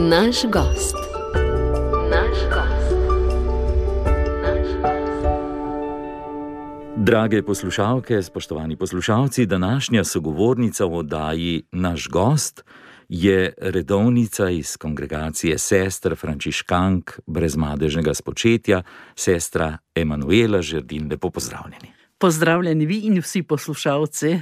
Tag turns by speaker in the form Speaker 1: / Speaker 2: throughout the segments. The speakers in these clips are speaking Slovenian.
Speaker 1: Naš gost.
Speaker 2: Drage poslušalke, spoštovani poslušalci, današnja sogovornica v oddaji Naš gost je redovnica iz kongregacije sester frančiškank brezmadežnega spočetja, sestra Emanuela Žerdin. Lepo pozdravljeni.
Speaker 3: Pozdravljeni vi in vsi poslušalci.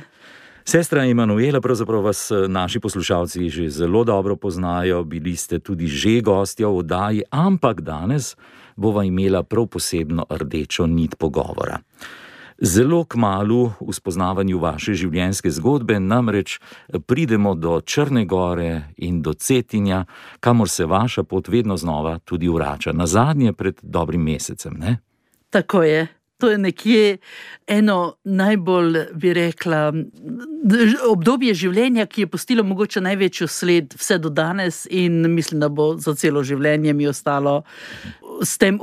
Speaker 2: Sestra Emanuela, pravzaprav vas naši poslušalci že zelo dobro poznajo, bili ste tudi že gostja v oddaji, ampak danes bova imela prav posebno rdečo nit pogovora. Zelo kmalu v spoznavanju vaše življenjske zgodbe namreč pridemo do Črne gore in do Cetinja, kamor se vaša pot vedno znova tudi vrača. Nazadnje pred dobrim mesecem, ne?
Speaker 3: Tako je. To je nekje eno najbolj, bi rekla, obdobje življenja, ki je pustilo mogoče največjo sled vse do danes in mislim, da bo za celo življenje mi ostalo s tem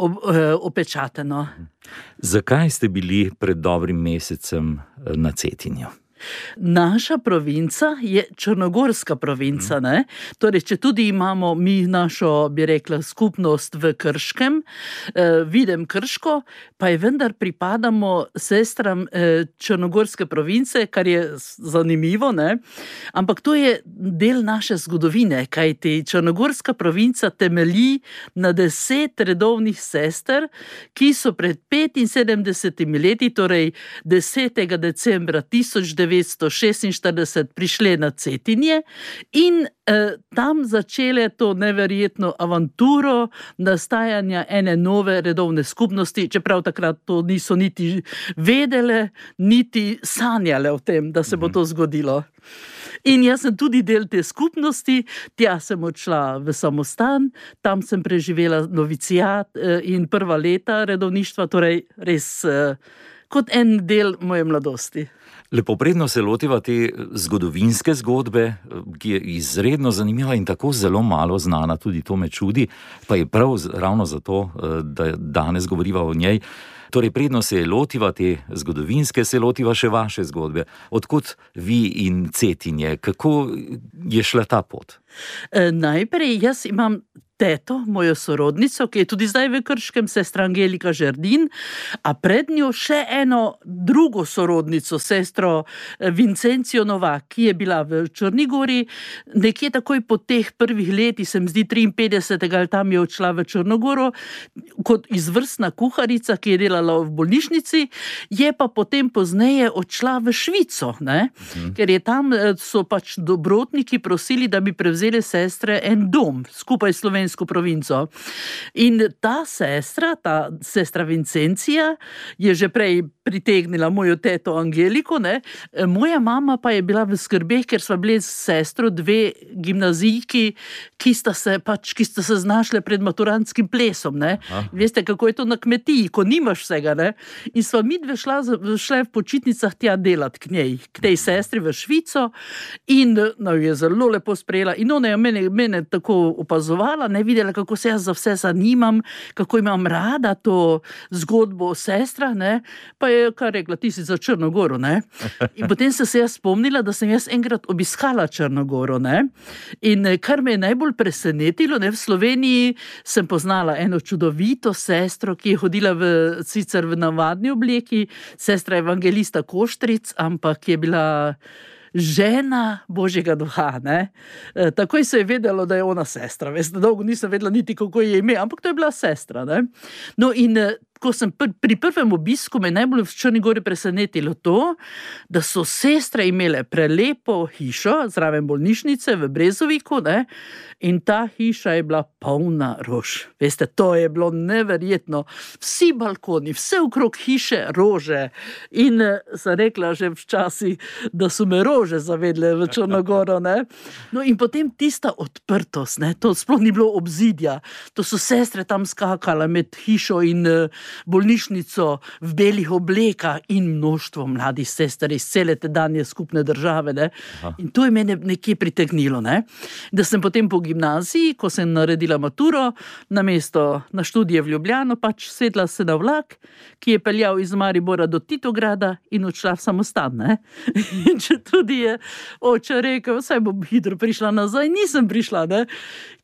Speaker 3: opečateno.
Speaker 2: Zakaj ste bili pred dobrim mesecem na Cetinju?
Speaker 3: Naša provinca je črnogorska provinca, ne? Torej, če tudi imamo mi našo, bi rekla, skupnost v Krškem, Videm Krško, pa je vendar pripadamo sestram črnogorske province, kar je zanimivo, ne? Ampak to je del naše zgodovine, kajti črnogorska provinca temelji na 10 redovnih sester, ki so pred 75 leti, torej 10. decembra 1946 prišle na Cetinje in tam začele to neverjetno avanturo nastajanja ene nove redovne skupnosti, čeprav takrat to niso niti vedele, niti sanjale o tem, da se bo to zgodilo. In jaz sem tudi del te skupnosti, tja sem odšla v samostan, tam sem preživela novicijat in prva leta redovništva, torej res kot en del moje mladosti.
Speaker 2: Lepo, predno se lotiva te zgodovinske zgodbe, ki je izredno zanimiva in tako zelo malo znana, tudi to me čudi, pa je prav ravno zato, da danes govoriva o njej. Torej, predno se lotiva te zgodovinske, se lotiva še vaše zgodbe. Odkot vi in Cetinje, kako je šla ta pot?
Speaker 3: Najprej jaz imam teto, mojo sorodnico, ki je tudi zdaj v Krškem, sestra Angelika Žerdin, a pred njo še eno drugo sorodnico, sestro Vincencijo Novak, ki je bila v Črni gori. Nekje takoj po teh prvih letih, se mi zdi 53. ali tam je odšla v Črno goro, kot izvrstna kuharica, ki je delala v bolnišnici, je pa potem pozneje odšla v Švico, ne? Ker je tam so pač dobrotniki prosili, da bi prevzeli sestre en dom, skupaj s slovensko provinco. In ta sestra Vincencija je že prej pritegnila mojo teto Angeliko, ne? Moja mama pa je bila v skrbeh, ker sva bili s sestro dve gimnazijki, ki sta se znašle pred maturantskim plesom, ne? Veste, kako je to na kmetiji, ko nimaš vsega, ne? In sva midve šle v počitnicah tja delati k njej, k tej sestri v Švico in je zelo lepo sprejela in ona je mene tako opazovala, ne, videla, kako se jaz za vse zanimam, kako imam rada to zgodbo o sestrah, ne, pa je kar rekla, ti si za Črno goro, ne. In potem sem se jaz spomnila, da sem jaz enkrat obiskala Črno goro, ne. In kar me je najbolj presenetilo, ne, v Sloveniji sem poznala eno čudovito sestro, ki je hodila sicer v navadni obleki, sestra evangelista Koštric, ampak je bila žena Božjega duha, ne. Takoj se je vedelo, da je ona sestra. Veste, dolgo nisem vedela niti, kako je ime, ampak to je bila sestra, ne. No in ko sem pri prvem obisku me najbolj v Črni gori presenetilo to, da so sestre imele prelepo hišo zraven bolnišnice v Brezoviku, ne, in ta hiša je bila polna rož. Veste, to je bilo neverjetno. Vsi balkoni, vse okrog hiše rože. In sem rekla že včasih, da so me rože zavedle v Črno goro, ne. No in potem tista odprtost, ne, to sploh ni bilo obzidja. To so sestre tam skakale med hišo in bolnišnico v belih oblekah in množstvo mladih sester iz cele tedanje skupne države. Ne? In to je mene nekje pritegnilo. Ne? Da sem potem po gimnaziji, ko sem naredila maturo, namesto na študije v Ljubljano, pač sedla se na vlak, ki je peljal iz Maribora do Titograda in odšla v samostan. Ne? In če tudi je oče rekel, saj bom hitro prišla nazaj, nisem prišla. Ne?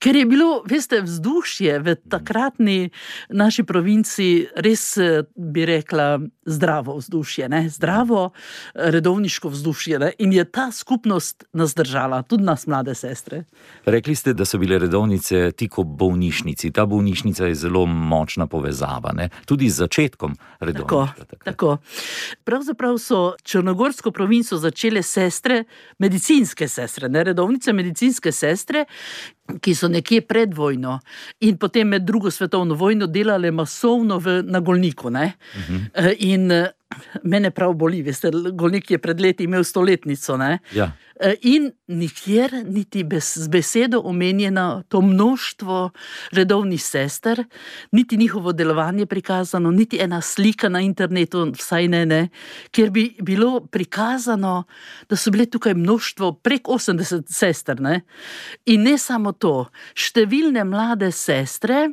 Speaker 3: Ker je bilo, veste, vzdušje v takratni naši provinci res, bi rekla, zdravo vzdušje, ne? Zdravo redovniško vzdušje. Ne? In je ta skupnost nas držala, tudi nas mlade sestre.
Speaker 2: Rekli ste, da so bile redovnice tik ob bolnišnici. Ta bolnišnica je zelo močna povezava, ne? Tudi z začetkom redovništva.
Speaker 3: Tako. Pravzaprav so črnogorsko provinco začele sestre, medicinske sestre, ne redovnice, medicinske sestre, ki so nekje pred vojno in potem med drugo svetovno vojno delale masovno na Golniku. Ne? In mene prav boli, veste, Golnik je pred leti imel 100-letnico. Ne?
Speaker 2: Ja.
Speaker 3: In nikjer niti z besedo omenjeno to množstvo redovnih sester, niti njihovo delovanje prikazano, niti ena slika na internetu, vsaj ne, kjer bi bilo prikazano, da so bile tukaj množstvo prek 80 sester. Ne? In ne samo to, številne mlade sestre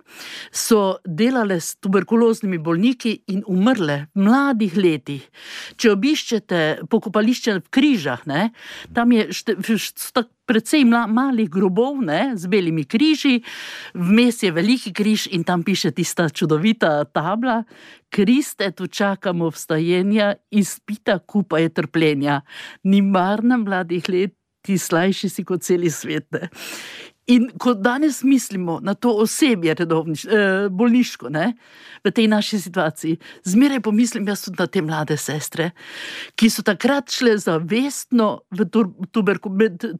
Speaker 3: so delale s tuberkuloznimi bolniki in umrle v mladih letih. Če obiščete pokopališče v Križah, ne, tam je precej malih grobov, ne, z belimi križi, vmes je veliki križ in tam piše tista čudovita tabla: Kriste, tu čakamo vstajenja, izpita kupa je trpljenja. Ni marna mladih let, ti slajši si kot celi svet. Ne. In ko danes mislimo na to osebje bolniško, ne, v tej naši situaciji, zmeraj pomislim jaz tudi na te mlade sestre, ki so takrat šle zavestno v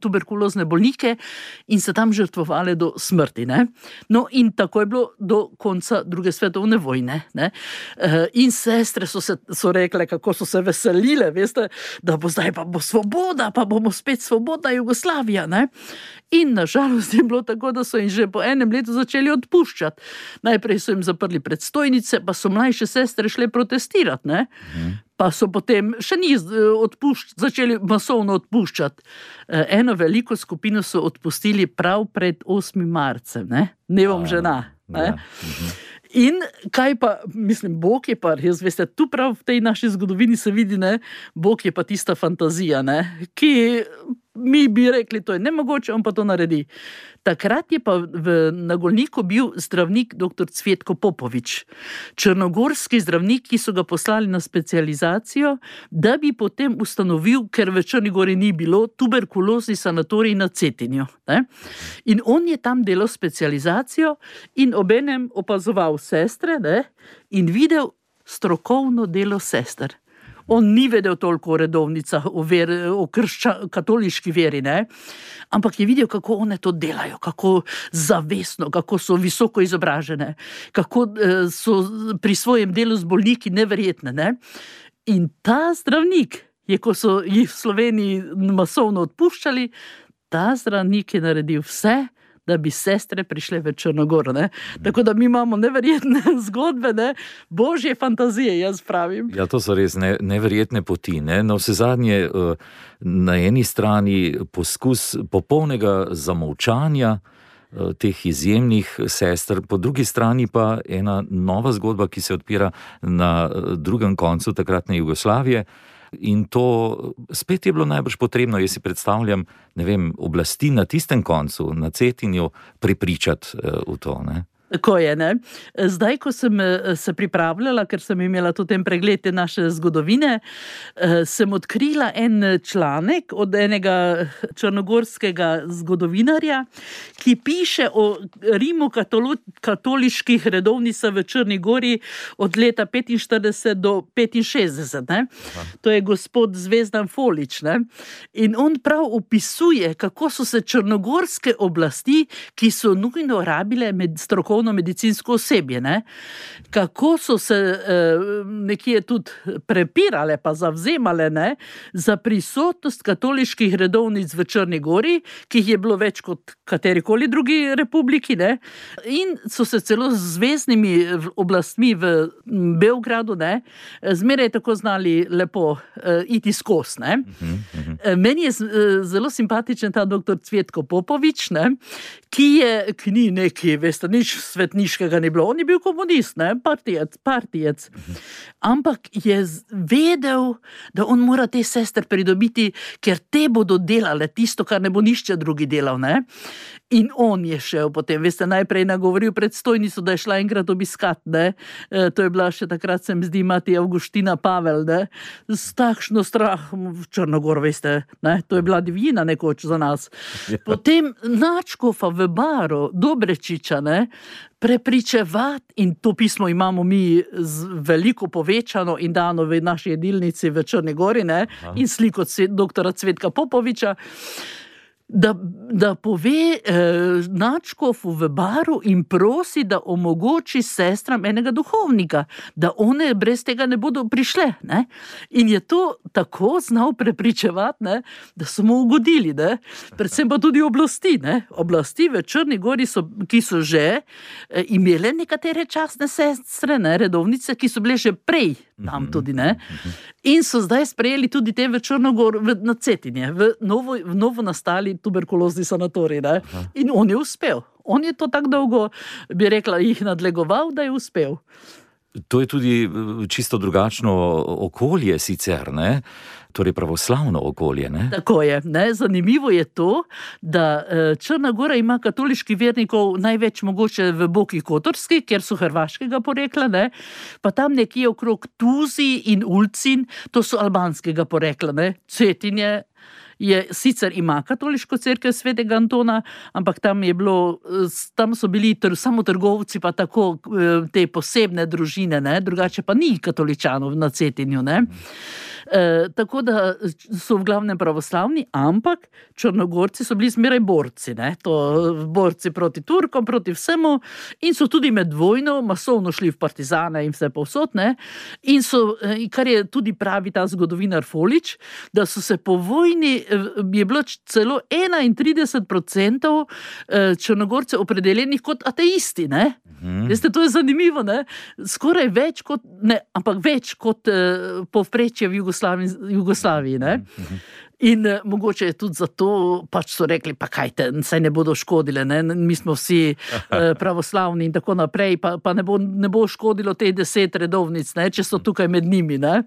Speaker 3: tuberkulozne bolnike in se tam žrtvovale do smrti. Ne. No in tako je bilo do konca druge svetovne vojne. Ne. In sestre so rekle, kako so se veselile, veste, da bo zdaj pa bo svoboda, pa bomo spet svobodna Jugoslavija. Ne. In nažalost je bilo tako, da so jim že po enem letu začeli odpuščati. Najprej so jim zaprli predstojnice, pa so mlajše sestre šle protestirati, ne? Pa so potem še začeli masovno odpuščati. Eno veliko skupino so odpustili prav pred 8. marcem, ne? Dnevom žena. Ne? In kaj pa, mislim, Bog je pa, jaz veste, tu prav v tej naši zgodovini se vidi, ne, Bog je pa tista fantazija, ne, ki mi bi rekli, to je nemogoče, on pa to naredi. Takrat je pa na Golniku bil zdravnik dr. Cvetko Popovič, črnogorski zdravnik, ki so ga poslali na specializacijo, da bi potem ustanovil, ker v Črni Gori ni bilo, tuberkulozni sanatorij na Cetinju. Ne? In on je tam delal specializacijo in obenem opazoval sestre, ne? In videl strokovno delo sester. On ni vedel toliko o redovnicah, o katoliški veri, ne? Ampak je videl, kako one to delajo, kako zavestno, kako so visoko izobražene, kako so pri svojem delu z bolniki neverjetne. Ne? In ta zdravnik, ko so jih v Sloveniji masovno odpuščali, ta zdravnik je naredil vse, da bi sestre prišle v Črnogoro. Ne? Tako da mi imamo neverjetne zgodbe, ne? Božje fantazije, jaz pravim.
Speaker 2: Ja, to so res neverjetne poti. Ne? No, vsezadnje, na eni strani poskus popolnega zamolčanja teh izjemnih sester, po drugi strani pa ena nova zgodba, ki se odpira na drugem koncu takratne Jugoslavije. In to spet je bilo najbrž potrebno, jaz si predstavljam, ne vem, oblasti na tistem koncu, na Cetinju, prepričati v to, ne?
Speaker 3: Tako je, ne. Zdaj, ko sem se pripravljala, ker sem imela tudi ten pregled te naše zgodovine, sem odkrila en članek od enega črnogorskega zgodovinarja, ki piše o Rimu katoliških redovnicah v Črni Gori od leta 45 do 65. Ne. To je gospod Zvezdan Folič. Ne. In on prav opisuje, kako so se črnogorske oblasti, ki so nujno rabile med strokovnimi strokovno medicinsko osebje, ne? Kako so se nekje tudi prepirale pa zavzemale, ne, za prisotnost katoliških redovnic v Črni Gori, ki jih je bilo več kot katerikoli drugi republiki, ne? In so se celo z zveznimi oblastmi v Beogradu, ne, zmeraj tako znali lepo iti skozi, ne. Meni je zelo simpatičen ta doktor Cvetko Popovič, ne, ki ni neki, veste, nič svetniškega ni bilo. On je bil komunist, ne, partijec. Ampak je vedel, da on mora te sestre pridobiti, ker te bodo delale tisto, kar ne bo nišče drugi delal, ne. In on je šel potem, veste, najprej nagovoril predstojnico, da je šla enkrat obiskat, ne. To je bila še takrat, se mi zdi, mati Avguština Pavel, ne. S takšno strahom v Črnogor, veste, ne. To je bila divjina nekoč za nas. Potem nadškofa v Baru, Dobrečiča, ne, prepričevati, in to pismo imamo mi veliko povečano in dano v naši jedilnici v Črni Gori, ne, in sliko doktora Cvetka Popoviča, da pove nadškofu v Baru in prosi, da omogoči sestram enega duhovnika, da one brez tega ne bodo prišle, ne. In je to tako znal prepričevati, ne, da so mu ugodili, ne. Predvsem pa tudi oblasti, ne. Oblasti v Črni Gori ki so že imele nekatere častne sestre, ne, redovnice, ki so bile že prej tam tudi, ne. In so zdaj sprejeli tudi te v Črnogor, na Cetinje, v novo nastali tuberkulozni sanatorij, ne. In on je uspel. On je to tako dolgo, bi rekla, jih nadlegoval, da je uspel.
Speaker 2: To je tudi čisto drugačno okolje sicer, ne? Torej pravoslavno okolje, ne?
Speaker 3: Tako je, ne? Zanimivo je to, da Črna Gora ima katoliških vernikov največ mogoče v Boki Kotorski, kjer so hrvaškega porekla, ne? Pa tam nekje okrog Tuzi in Ulcin, to so albanskega porekla, ne? Cetinje sicer ima katoliško cerkev svetega Antona, ampak tam so bili samo trgovci, pa tako te posebne družine, ne? Drugače pa ni katoličanov na Cetinju, ne? Tako da so v glavnem pravoslavni, ampak Črnogorci so bili zmeraj borci, ne? Borci proti Turkom, proti vsemu, in so tudi med vojno masovno šli v partizane in vse povsod, ne? In kar je tudi pravi ta zgodovinar Folič, da so se po vojni, je bilo celo 31% Črnogorcev opredeljenih kot ateisti, ne? Veste, to je zanimivo, ne? Skoraj več kot povprečje v Jugoslaviji, ne? In mogoče je tudi zato, pač so rekli, pa kajte, saj ne bodo škodile, ne? Mi smo vsi pravoslavni in tako naprej, pa ne bo škodilo teh 10 redovnic, ne? Če so tukaj med njimi, ne?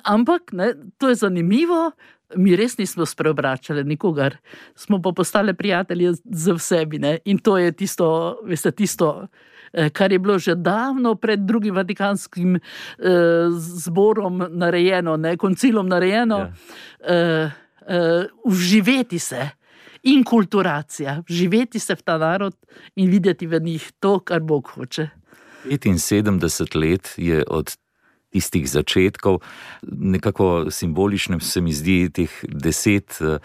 Speaker 3: Ampak, ne, to je zanimivo, mi res nismo spreobračali nikogar, smo pa postali prijatelji z vsebi, ne? In to je tisto, veste, kar je bilo že davno pred drugim Vatikanskim zborom narejeno, ne, koncilom narejeno, vživeti se, inkulturacija, vživeti se v ta narod in videti v njih to, kar Bog hoče.
Speaker 2: 75 let je od tistih začetkov, nekako simbolično se mi zdi teh 10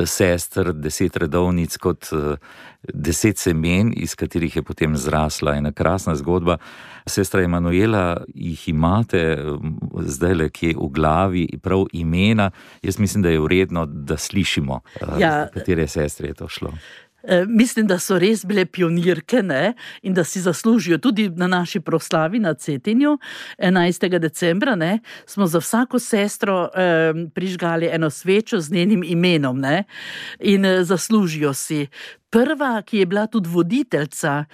Speaker 2: sester, 10 redovnic kot 10 semen, iz katerih je potem zrasla ena krasna zgodba. Sestra Emanuela, jih imate zdajle kje v glavi, prav imena. Jaz mislim, da je vredno, da slišimo, katere sestre je to šlo.
Speaker 3: Mislim, da so res bile pionirke, ne? In da si zaslužijo tudi na naši proslavi na Cetinju 11. decembra, ne? Smo za vsako sestro prižgali eno svečo z njenim imenom, ne? In zaslužijo si. Prva, ki je bila tudi voditeljica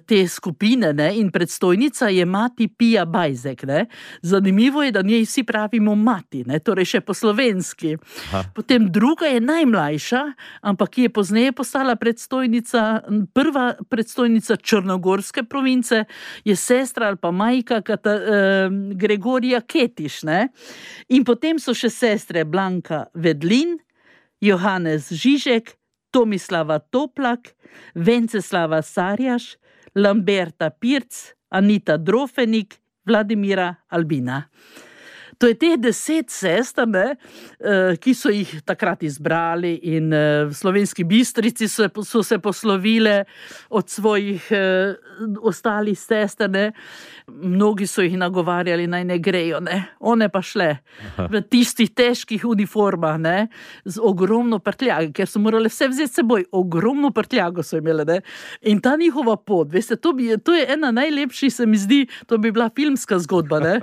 Speaker 3: te skupine, ne, in predstojnica, je mati Pija Bajzek, ne. Zanimivo je, da njej vsi pravimo mati, ne, torej še po slovenski. Potem druga je najmlajša, ampak ki je pozneje postala prva predstojnica Črnogorske province, je sestra ali pa majka Gregorija Ketiš, ne. In potem so še sestre Blanka Vedlin, Johannes Žižek, Tomislava Toplak, Venceslava Sarjaš, Lamberta Pirc, Anita Drofenik, Vladimira Albina. To je teh 10 sester, ne, ki so jih takrat izbrali in v Slovenski Bistrici so se poslovile od svojih ostalih sester. Ne. Mnogi so jih nagovarjali, naj ne grejo. Ne. One pa šle v tistih težkih uniformah, ne, z ogromno prtljage, ker so morali vse vzeti seboj. Ogromno prtljago so imeli. Ne. In ta njihova pot, veste, to je ena najlepših, se mi zdi, to bi bila filmska zgodba. Ne.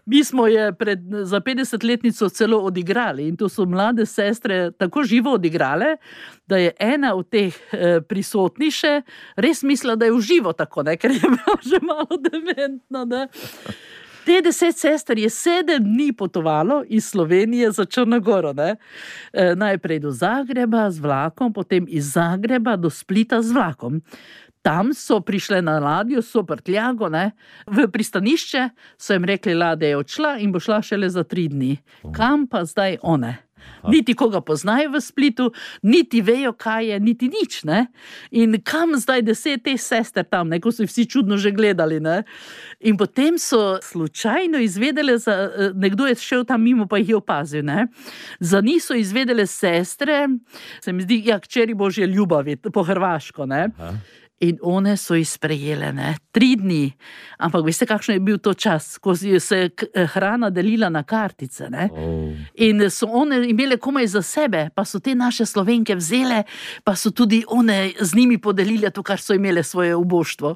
Speaker 3: Mi smo je za 50-letnico celo odigrali in to so mlade sestre tako živo odigrale, da je ena od teh prisotnih še res mislila, da je v živo tako, ne, ker je bila že malo dementna. Ne. Te 10 sester je 7 dni potovalo iz Slovenije za Črnogoro. Ne. Najprej do Zagreba z vlakom, potem iz Zagreba do Splita z vlakom. Tam so prišle na ladjo, so prtljago, ne, v pristanišče, so jim rekli, ladja je odšla in bo šla šele za 3 dni. Kam pa zdaj one? Niti koga poznajo v Splitu, niti vejo, kaj je, niti nič. Ne? In kam zdaj 10 teh sester tam, ne? Ko so vsi čudno že gledali. Ne? In potem so slučajno izvedele, nekdo je šel tam mimo, pa jih je opazil. Ne? Za njih so izvedele sestre, se mi zdi, hčeri Božje ljubavi, po hrvaško. Ne? In one so jih sprejele, ne, 3 dni. Ampak veste, kakšen je bil to čas, ko se hrana delila na kartice, ne. In so one imele komaj za sebe, pa so te naše Slovenke vzele, pa so tudi one z njimi podelile to, kar so imele svoje uboštvo.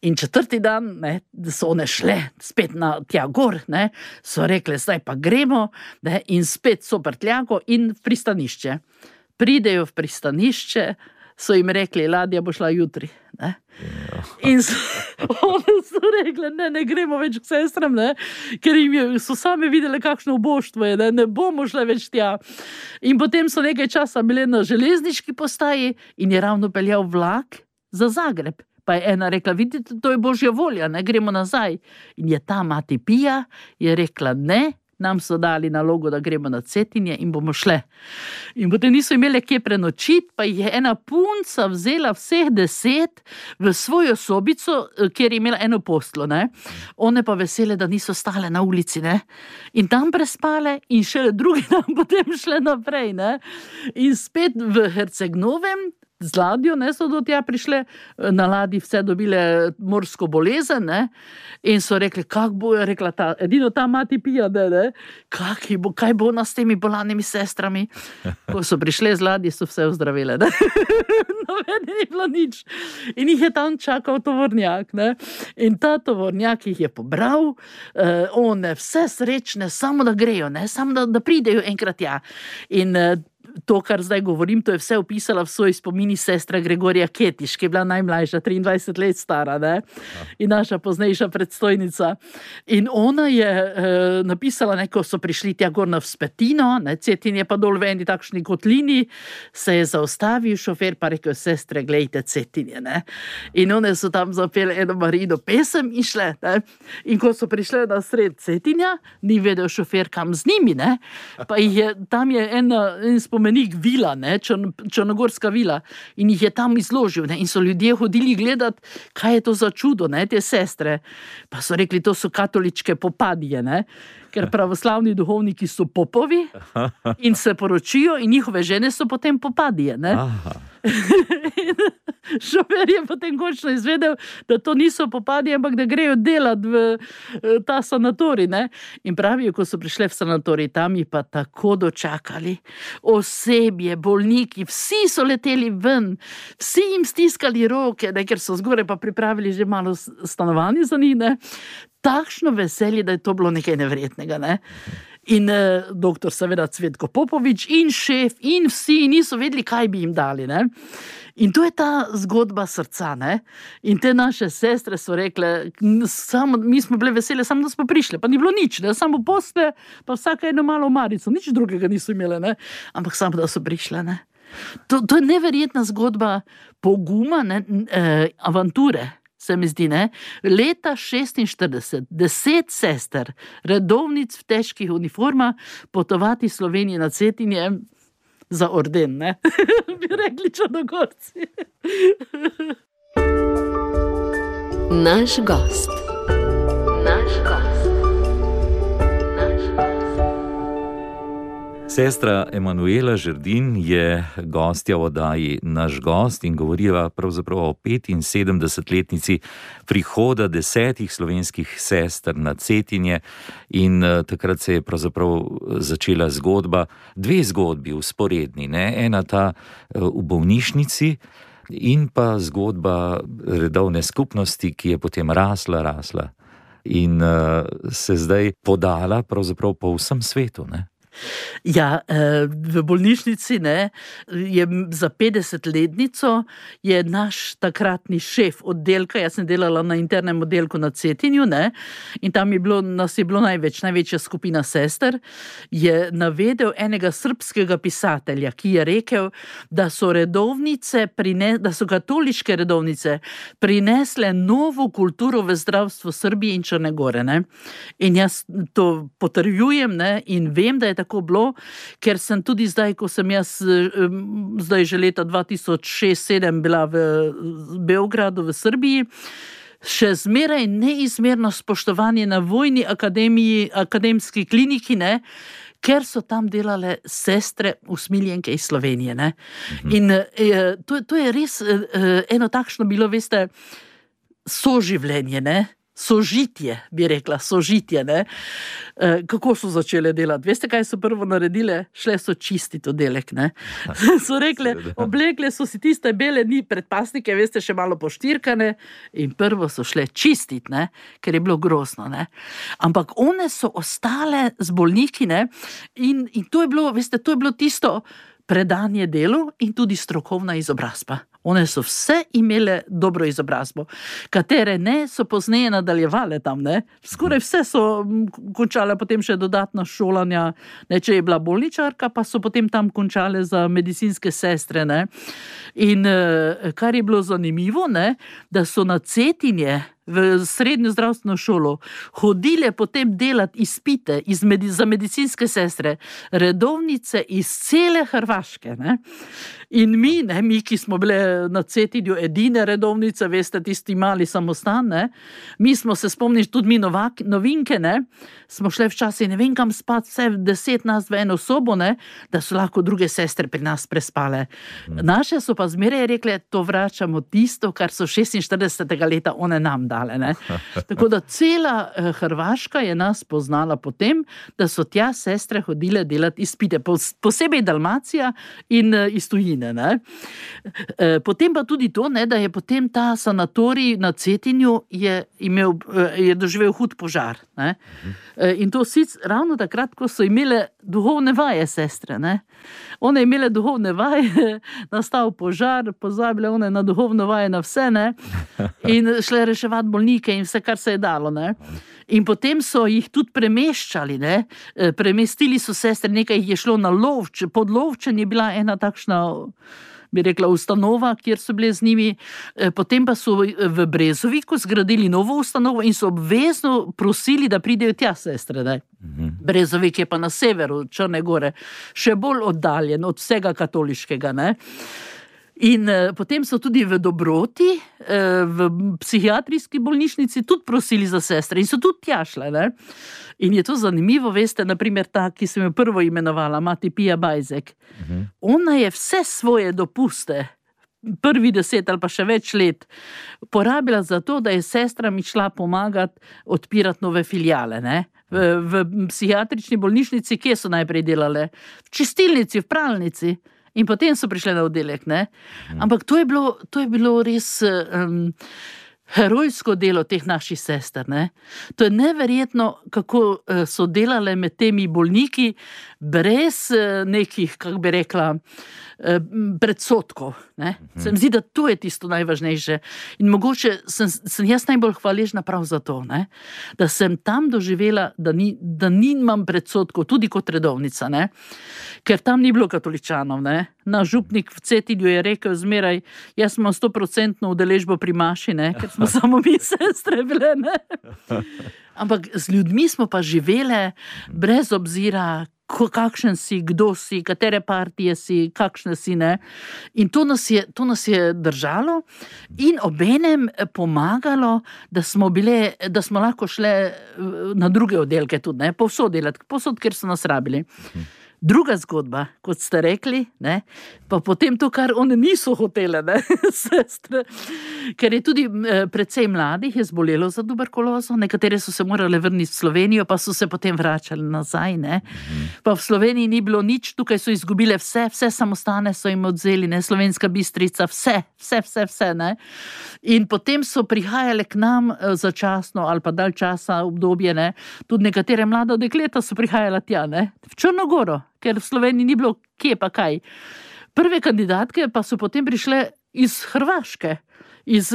Speaker 3: In 4. dan, ne, so one šle spet na tja gor, ne, so rekle, zdaj pa gremo, ne, in spet so prtljago in v pristanišče. Pridejo v pristanišče, so jim rekli, ladja bo šla jutri. Ne? In one so rekli, ne gremo več k sestram, ne? Ker so same videli, kakšno uboštvo je, ne bomo šle več tja. In potem so nekaj časa bile na železniški postaji in je ravno peljal vlak za Zagreb. Pa je ena rekla, vidite, to je Božja volja, ne gremo nazaj. In je ta mati Pija je rekla, ne, nam so dali nalogo, da gremo na Cetinje in bomo šle. In potem niso imeli kje prenočiti, pa je ena punca vzela vseh 10 v svojo sobico, kjer je imela eno posteljo, ne. One pa vesele, da niso stale na ulici, ne. In tam prespale in šele drugi dan potem šle naprej, ne. In spet v Herceg-Novem z ladjo, ne, so do tja prišle, na ladji vse dobile morsko bolezen, ne, in so rekli, kak bo, je rekla edino ta mati Pija, ne, kaj bo nas s temi bolanimi sestrami. Ko so prišle z ladji, so vse ozdravile, ne. Novene ni bilo nič. In jih je tam čakal tovornjak, ne, in ta tovornjak jih je pobral, one vse srečne, samo da grejo, ne, samo da pridejo enkrat tja. In to, kar zdaj govorim, to je vse opisala v svoj spomini sestra Gregorija Ketiš, ki je bila najmlajša, 23 let stara, ne? In naša poznejša predstojnica. In ona je napisala, ko so prišli tja gor na Vzpetino, ne? Cetinje pa dol v eni takšni kotlini, se je zaustavil šofer, pa rekel, sestre, glejte Cetinje, ne? In one so tam zapele eno Marijino pesem in šle, ne? In ko so prišle na sred Cetinja, ni vedel šofer, kam z njimi, ne? Pa tam je en spomenik vila, ne, črnogorska vila, in jih je tam izložil, ne, in so ljudje hodili gledati, kaj je to za čudo, ne, te sestre. Pa so rekli, to so katoličke popadije, ne, ker pravoslavni duhovniki so popovi in se poročijo in njihove žene so potem popadije, ne. Šofer je potem končno izvedel, da to niso popadije, ampak da grejo delati v ta sanatorij, ne. In pravijo, ko so prišle v sanatorij, tam jih pa tako dočakali. Osebje, bolniki, vsi so leteli ven, vsi jim stiskali roke, ne, ker so zgoraj pa pripravili že malo stanovanje za njih, ne. Takšno veselje, da je to bilo nekaj neverjetnega, ne. In doktor seveda Cvetko Popovič in šef in vsi niso vedeli, kaj bi jim dali, ne. In to je ta zgodba srca, ne. In te naše sestre so rekle, mi smo bile vesele, samo da smo prišle, pa ni bilo nič, ne, samo posle, pa vsaka eno malo marico, nič drugega niso imele, ne, ampak samo da so prišle, ne. To je neverjetna zgodba poguma, ne, avanture. Se mi zdi, ne, leta 46, 10 sester, redovnic v težkih uniformah, potovati Slovenije na Cetinje za orden, ne, bi rekli Črnogorci.
Speaker 1: Naš gost. Naš gost. Naš gost.
Speaker 2: Sestra Emanuela Žerdin je gostja v oddaji Naš gost in govoriva pravzaprav o 75-letnici prihoda 10 slovenskih sester na Cetinje in takrat se je pravzaprav začela zgodba, 2 zgodbi vzporedni, ne? Ena ta v bolnišnici in pa zgodba redovne skupnosti, ki je potem rasla in se zdaj podala pravzaprav po vsem svetu, ne?
Speaker 3: Ja, v bolnišnici je za 50-letnico je naš takratni šef oddelka, jaz sem delala na internem oddelku na Cetinju, in tam nas je bilo največja skupina sester, je navedel enega srbskega pisatelja, ki je rekel, da so katoliške redovnice prinesle novo kulturo v zdravstvu Srbije in Črne Gore. In jaz to potrjujem in vem, da je tako bilo, ker sem tudi zdaj, ko sem jaz zdaj že leta 2006-2007 bila v Beogradu v Srbiji, še zmeraj neizmerno spoštovanje na vojni akademski kliniki, ker so tam delale sestre usmiljenke iz Slovenije. In to je res eno takšno bilo, veste, soživljenje, sožitje, bi rekla, sožitje. Kako so začele delati? Veste, kaj so prvo naredile? Šle so čistiti oddelek. So rekle, oblekle so si tiste bele predpasnike, veste, še malo poštirkane in prvo so šle čistiti, ker je bilo grozno. Ampak one so ostale z bolniki in to je bilo, veste, to je bilo tisto predanje delu in tudi strokovna izobrazba. One so vse imele dobro izobrazbo, katere so pozneje nadaljevale tam, Skoraj vse so končale potem še dodatna šolanja, če je bila bolničarka, pa so potem tam končale za medicinske sestre, In kar je bilo zanimivo, da so na Cetinje v srednjo zdravstveno šolo hodile potem delati izpite za medicinske sestre, redovnice iz cele Hrvaške. In mi, ki smo bile na Cetinju edine redovnice, veste, tisti mali samostan, mi smo se spomnili, tudi mi novinke, smo šle včasih ne vem kam spati, vse 10 nas v eno sobo, da so lahko druge sestre pri nas prespale. Naše so pa zmeraj rekle, to vračamo tisto, kar so 46. leta one nam dale. Tako da cela Hrvaška je nas poznala potem, da so tja sestre hodile delati izpite, posebej Dalmacija in iz tujine. Potem pa tudi to, da je potem ta sanatorij na Cetinju je doživel hud požar. In to ravno takrat, ko so imele duhovne vaje sestre. One imele duhovne vaje, nastal požar, pozabile one na duhovno vaje na vse, in šle reševati bolnike in vse, kar se je dalo. In potem so jih tudi premeščali, premestili so sestre, nekaj jih je šlo na Lovč, pod Lovčen je bila ena takšna, bi rekla, ustanova, kjer so bile z njimi, potem pa so v Brezoviku zgradili novo ustanovo in so obvezno prosili, da pridejo tja sestre. Brezovik je pa na severu Črne Gore, še bolj oddaljen od vsega katoliškega. In potem so tudi v Dobroti, v psihiatrijski bolnišnici tudi prosili za sestre in so tudi tja šle. In je to zanimivo, veste, naprimer ta, ki sem jo prvo imenovala, mati Pija Bajzek. Ona je vse svoje dopuste, prvi 10 ali pa še več let, porabila za to, da je sestram šla pomagati odpirati nove filijale. V psihiatrični bolnišnici, kje so najprej delale? V čistilnici, v pralnici. In potem so prišle na oddelek, Ampak to je bilo res herojsko delo teh naših sester, To je neverjetno, kako so delale med temi bolniki brez nekih, kako bi rekla, predsodkov. Se mi zdi, da to je tisto najvažnejše. In mogoče sem jaz najbolj hvaležna prav za to, da sem tam doživela, da nimam predsodkov, tudi kot redovnica, ker tam ni bilo katoličanov. Naš župnik v Cetinju je rekel zmeraj, jaz imam 100% udeležbo pri maši, ker smo samo mi sestre bile. Ampak z ljudmi smo pa živele brez obzira, kakšen si, kdo si, katere partije si, kakšne si, In to nas je držalo in obenem pomagalo, da smo lahko šle na druge oddelke tudi, povsod delati, povsod, kjer so nas rabili. Druga zgodba, kot ste rekli, ne, pa potem to, kar one niso hotele, ne, sestre, ker je tudi precej mladih je zbolelo za tuberkulozo, nekatere so se morale vrniti v Slovenijo, pa so se potem vračali nazaj, ne. Pa v Sloveniji ni bilo nič, tukaj so izgubile vse samostane so jim odzeli, ne, Slovenska Bistrica, vse, ne. In potem so prihajale k nam začasno ali pa dalj časa obdobje, ne, tudi nekatere mlada dekleta so prihajala tja, ne, v Črnogoro, ker v Sloveniji ni bilo kje pa kaj. Prve kandidatke pa so potem prišle iz Hrvaške, iz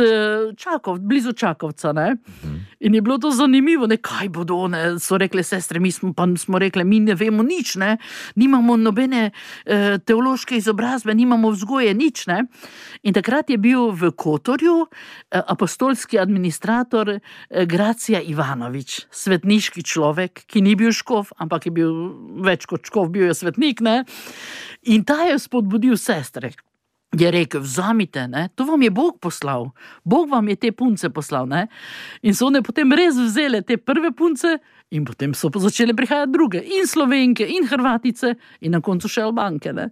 Speaker 3: blizu Čakovca, ne. In je bilo to zanimivo, ne, kaj bodo one, so rekle sestre, mi smo rekle, mi ne vemo nič, ne, nimamo nobene teološke izobrazbe, nimamo vzgoje, nič, ne. In takrat je bil v Kotorju apostolski administrator Gracija Ivanovič, svetniški človek, ki ni bil škof, ampak je bil več kot škof, bil je svetnik, ne. In ta je spodbudil sestre. Je rekel, vzamite, ne, to vam je Bog poslal, Bog vam je te punce poslal, ne, in so one potem res vzele te prve punce in potem so začele prihajati druge, in Slovenke, in Hrvatice, in na koncu še Albanke, ne.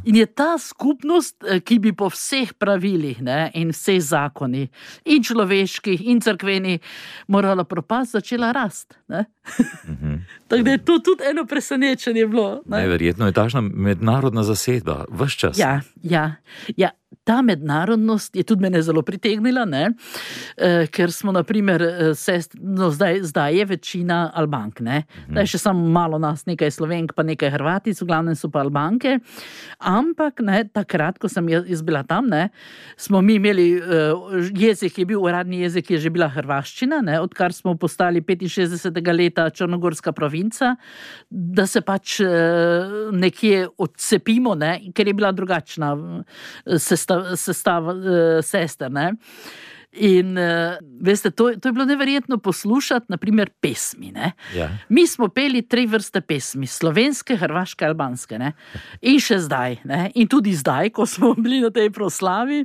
Speaker 3: In je ta skupnost, ki bi po vseh pravilih, ne, in vseh zakonih, in človeških, in cerkveni, morala propast, začela rast, ne. Tako da je to tudi eno presenečenje bilo.
Speaker 2: Najverjetno je takšna mednarodna zasedba, ves čas.
Speaker 3: Ja, ta mednarodnost je tudi mene zelo pritegnila, ne, ker smo naprimer, zdaj je večina Albank, ne, zdaj še samo malo nas, nekaj Slovenk, pa nekaj Hrvatic, v glavnem so pa Albanke, ampak, ne, takrat, ko sem jaz bila tam, ne, smo mi imeli, jezik je bil, uradni jezik je že bila hrvaščina, ne, odkar smo postali 65. leta črnogorska provinca, da se pač nekje odcepimo, ne, ker je bila drugačna sestava sester, ne. In veste, to je bilo neverjetno poslušati, naprimer pesmi, ne.
Speaker 2: Ja.
Speaker 3: Mi smo peli 3 vrste pesmi, slovenske, hrvaške, albanske, ne. In še zdaj, ne, in tudi zdaj, ko smo bili na tej proslavi,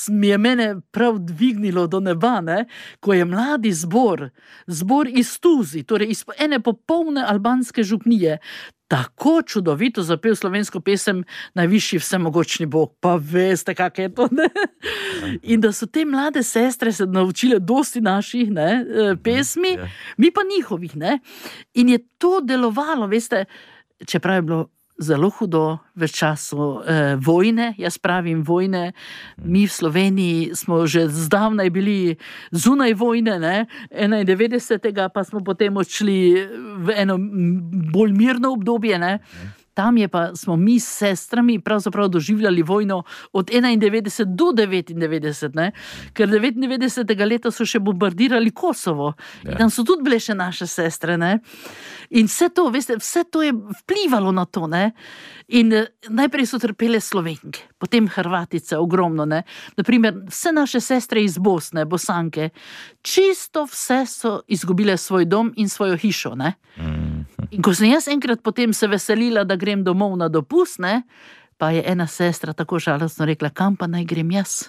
Speaker 3: mi je mene prav dvignilo do neba, ne, ko je mladi zbor iz Tuzi, torej iz ene popolne albanske župnije, tako čudovito zapel slovensko pesem Najvišji vsemogočni Bog, pa veste, kak je to, ne? In da so te mlade sestre se naučile dosti naših, ne, pesmi, mi pa njihovih, ne? In je to delovalo, veste, čeprav je bilo zelo hudo v času vojne, jaz pravim vojne, mi v Sloveniji smo že zdavnaj bili zunaj vojne, ne, 91. pa smo potem odšli v eno bolj mirno obdobje, ne. Tam je pa smo mi s sestrami pravzaprav doživljali vojno od 91 do 99, ne? Ker 99. leta so še bombardirali Kosovo. In tam so tudi bile še naše sestre, ne? In vse to, veste, vse to je vplivalo na to, ne? In najprej so trpele Slovenke, potem Hrvatice, ogromno, ne? Naprimer, vse naše sestre iz Bosne, Bosanke, čisto vse so izgubile svoj dom in svojo hišo, ne? In ko sem jaz enkrat potem se veselila, da grem domov na dopust, ne, pa je ena sestra tako žalostno rekla, kam pa naj grem jaz?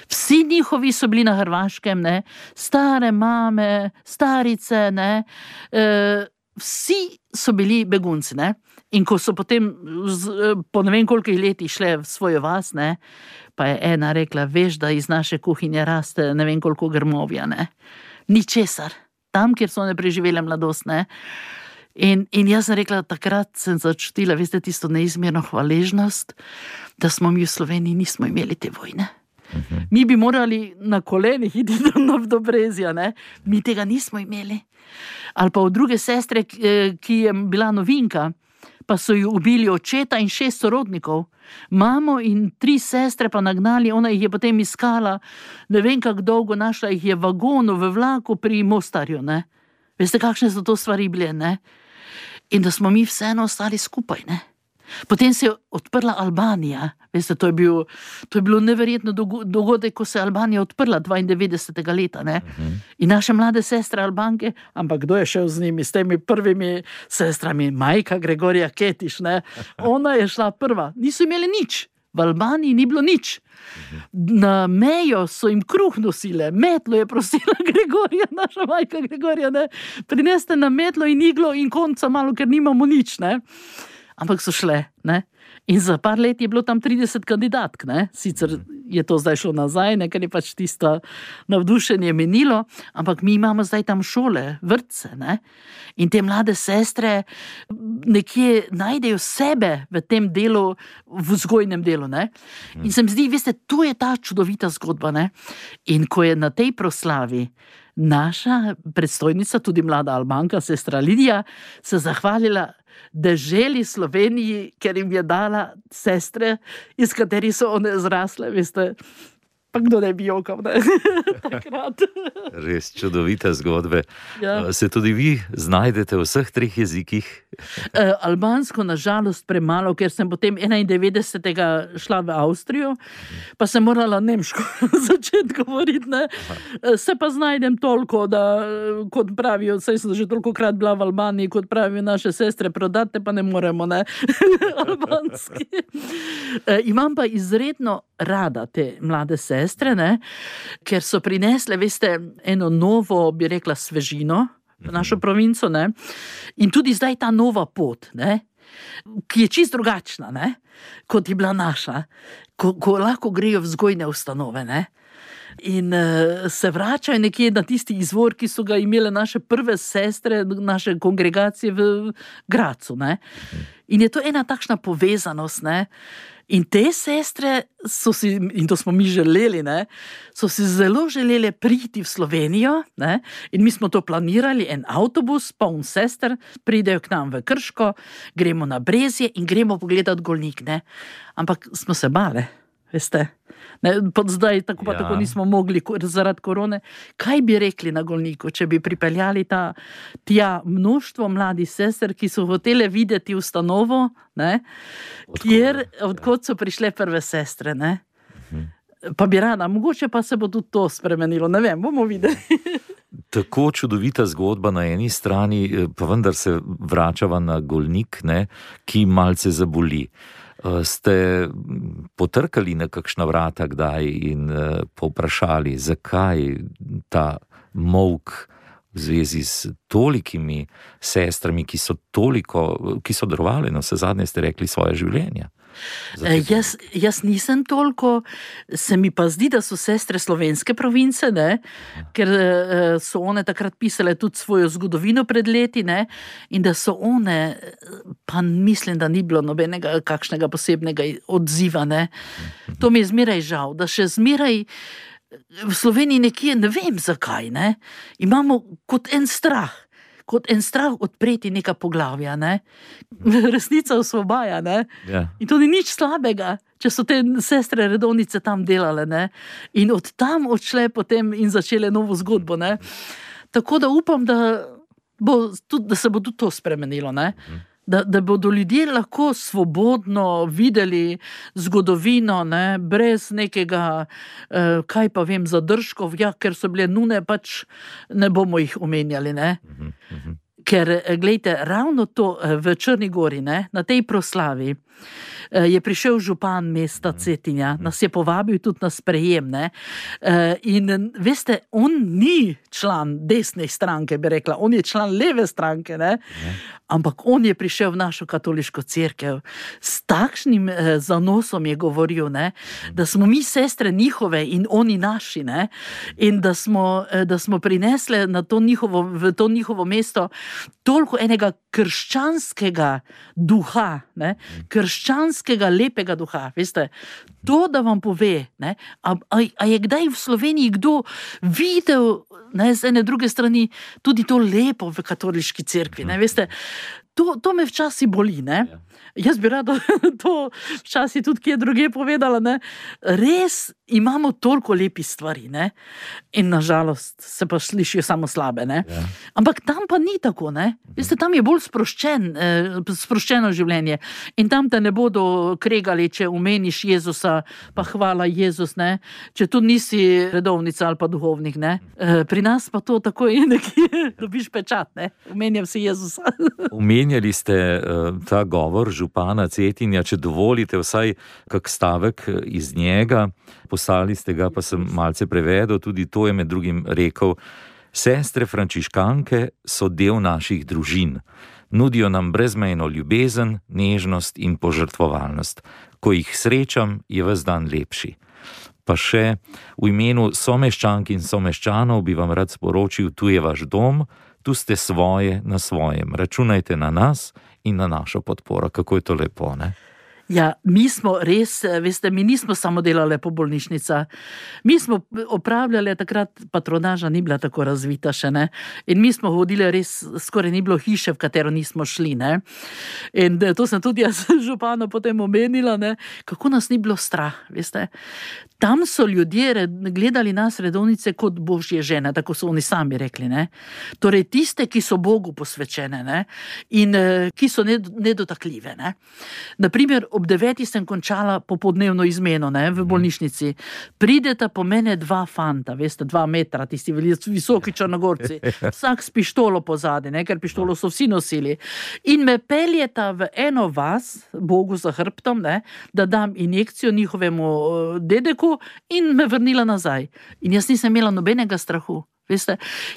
Speaker 3: Vsi njihovi so bili na Hrvaškem, ne, stare mame, starice, ne, vsi so bili begunci, ne. In ko so potem po ne vem kolikih letih šle v svojo vas, ne, pa je ena rekla, veš, da iz naše kuhinje raste ne vem koliko grmovja, ne. Ničesar. Tam, kjer so one preživele mladost, ne. In jaz sem rekla, takrat sem začutila, veste, tisto neizmerno hvaležnost, da smo mi v Sloveniji nismo imeli te vojne. Mi bi morali na kolenih iti do Brezja, ne? Mi tega nismo imeli. Ali pa od druge sestre, ki je bila novinka, pa so jo ubili očeta in 6 sorodnikov. Mamo in 3 sestre pa nagnali, ona jih je potem iskala, ne vem kako dolgo, našla jih je v vagonu, v vlaku pri Mostarju, ne? Veste, kakšne so to stvari bile, ne? In da smo mi vseeno ostali skupaj, ne? Potem se je odprla Albanija, veste, to je bilo neverjetno dogodek, ko se je Albanija odprla 92. leta, ne? In naše mlade sestre Albanke, ampak kdo je šel z njimi, s temi prvimi sestrami, majka Gregorija Ketiš, ne? Ona je šla prva, niso imeli nič. V Albaniji ni bilo nič. Na mejo so jim kruh nosile, metlo je prosila Gregorija, naša majka Gregorija, ne, prineste na metlo in iglo in konca malo, ker nimamo nič, ne. Ampak so šle, ne. In za par let je bilo tam 30 kandidatk, ne. Sicer je to zdaj šlo nazaj, ne, ker je pač tisto navdušenje minilo, ampak mi imamo zdaj tam šole, vrtce, ne. In te mlade sestre nekje najdejo sebe v tem delu, v vzgojnem delu, ne. In se mi zdi, veste, to je ta čudovita zgodba, ne. In ko je na tej proslavi naša predstojnica, tudi mlada Albanka, sestra Lidija, se zahvalila deželi Sloveniji, ker jim je dala sestre, iz katerih so one zrasle, veste, pa kdo ne bi jokal, ne, takrat.
Speaker 2: Res čudovite zgodbe.
Speaker 3: Ja.
Speaker 2: Se tudi vi znajdete v vseh 3 jezikih?
Speaker 3: Albansko nažalost premalo, ker sem potem 91. šla v Avstrijo, pa sem morala nemško začeti govoriti, ne. Se pa znajdem toliko, da, kot pravijo, saj sem že tolikokrat bila v Albaniji, kot pravijo naše sestre, prodate pa ne moremo, ne, albanski. Imam pa izredno rada te mlade sestre, ne, ker so prinesle, veste, eno novo, bi rekla, svežino v našo provinco, ne, in tudi zdaj ta nova pot, ne, ki je čisto drugačna, ne, kot je bila naša, ko lahko grejo v vzgojne ustanove, ne, in se vračajo nekje na tisti izvor, ki so ga imele naše prve sestre, naše kongregacije v Gracu, ne. In je to ena takšna povezanost, ne. In te sestre so si, in to smo mi želeli, ne, so si zelo želeli priti v Slovenijo, ne, in mi smo to planirali, en avtobus, poln sester, pridejo k nam v Krško, gremo na Brezje in gremo pogledati Golnik, ne. Ampak smo se bale, veste. Ne, zdaj tako pa tako nismo mogli zaradi korone. Kaj bi rekli na Golniku, če bi pripeljali tja mnoštvo mladih sester, ki so hotele videti ustanovo, ne, odkot so prišle prve sestre, ne. Pa bi rada, mogoče pa se bo tudi to spremenilo, ne vem, bomo videli.
Speaker 2: Tako čudovita zgodba na eni strani, pa vendar se vračava na Golnik, ne, ki malce zaboli. Ste potrkali na kakšna vrata kdaj in povprašali, zakaj ta molk v zvezi s tolikimi sestrami, ki so darovali, no, vsezadnje ste rekli, svoje življenje?
Speaker 3: Jaz nisem toliko, se mi pa zdi, da so sestre slovenske province, ne, ker so one takrat pisale tudi svojo zgodovino pred leti, ne, in da so one, pa mislim, da ni bilo nobenega kakšnega posebnega odziva, ne. To mi je zmeraj žal, da še zmeraj v Sloveniji nekje, ne vem zakaj, ne, imamo kot en strah odpreti neka poglavja, ne. Resnica osvobaja, ne.
Speaker 2: Ja.
Speaker 3: In to ni nič slabega, če so te sestre redovnice tam delale, ne. In od tam odšle potem in začele novo zgodbo, ne. Tako da upam, da se bo tudi to spremenilo, ne. Da bodo ljudje lahko svobodno videli zgodovino, ne, brez nekega, kaj pa vem, zadržkov, ja, ker so bile nune, pač ne bomo jih omenjali, ne. Ker, glejte, ravno to v Črni Gori, ne, na tej proslavi, je prišel župan mesta Cetinja, nas je povabil tudi na sprejem, ne, in veste, on ni član desne stranke, bi rekla, on je član leve stranke, ne, ampak on je prišel v našo katoliško cerkev, s takšnim zanosom je govoril, ne, da smo mi sestre njihove in oni naši, ne, in da smo prinesle na v to njihovo mesto toliko enega krščanskega duha, ne, krščanskega lepega duha, veste, to, da vam pove, ne, a je kdaj v Sloveniji kdo videl, ne, z ene druge strani, tudi to lepo v katoliški cerkvi, ne, veste, to me včasih boli, ne. Jaz bi rada to včasih tudi kje druge povedala, ne. Res imamo toliko lepih stvari, ne? In nažalost se pa slišijo samo slabe, ne? Ja. Ampak tam pa ni tako, ne? Veste, tam je bolj sproščeno življenje in tam te ne bodo kregali, če omeniš Jezusa, pa hvala Jezus, ne? Če tu nisi redovnica ali pa duhovnik, ne? Pri nas pa to tako je nekje, dobiš pečat, ne? Omenjam si Jezusa.
Speaker 2: Omenjali ste ta govor župana Cetinja, če dovolite vsaj kak stavek iz njega, poslali ste ga, pa sem malce prevedel, tudi to je med drugim rekel: sestre frančiškanke so del naših družin, nudijo nam brezmejno ljubezen, nežnost in požrtvovalnost. Ko jih srečam, je ves dan lepši. Pa še v imenu someščank in someščanov bi vam rad sporočil, tu je vaš dom, tu ste svoje na svojem. Računajte na nas in na našo podporo. Kako je to lepo, ne?
Speaker 3: Ja, mi smo res, veste, mi nismo samo delali po bolnišnica. Mi smo opravljali, takrat patronaža ni bila tako razvita še, ne. In mi smo hodili res, skoraj ni bilo hiše, v katero nismo šli, ne. In to sem tudi jaz županu potem omenila, ne, kako nas ni bilo strah, veste. Tam so ljudje gledali nas redovnice kot božje žene, tako so oni sami rekli, ne. Torej tiste, ki so Bogu posvečene, ne, in ki so nedotakljive, ne. Naprimer, ob 9 sem končala popodnevno izmeno, ne, v bolnišnici. Prideta po mene 2 fanta, veste, 2 metra, tisti visoki Črnogorci, vsak s pištolo pozadi, ne, ker pištolo so vsi nosili. In me peljeta v eno vas, Bogu za hrbtom, ne, da dam injekcijo njihovemu dedeku in me vrnila nazaj. In jaz nisem imela nobenega strahu. Veste,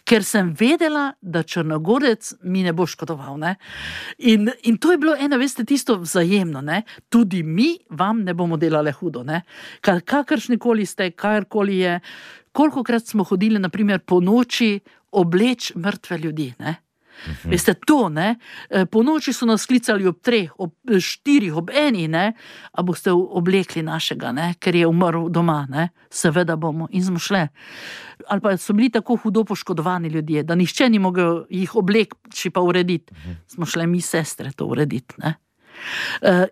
Speaker 3: ker sem vedela, da Črnogorec mi ne bo škodoval, ne. In to je bilo eno, veste, tisto vzajemno, ne. Tudi mi vam ne bomo delali hudo, ne. Kakršnikoli ste, karkoli je, kolikokrat smo hodili, naprimer, po noči obleč mrtve ljudi, ne. Veste, to, ne, po noči so nas klicali ob 3, ob 4, ob 1, ne, a boste oblekli našega, ne, ker je umrl doma, ne, seveda bomo in smo šle. Ali pa so bili tako hudo poškodovani ljudje, da nihče ni mogel jih obleči pa urediti. Smo šle mi sestre to urediti, ne.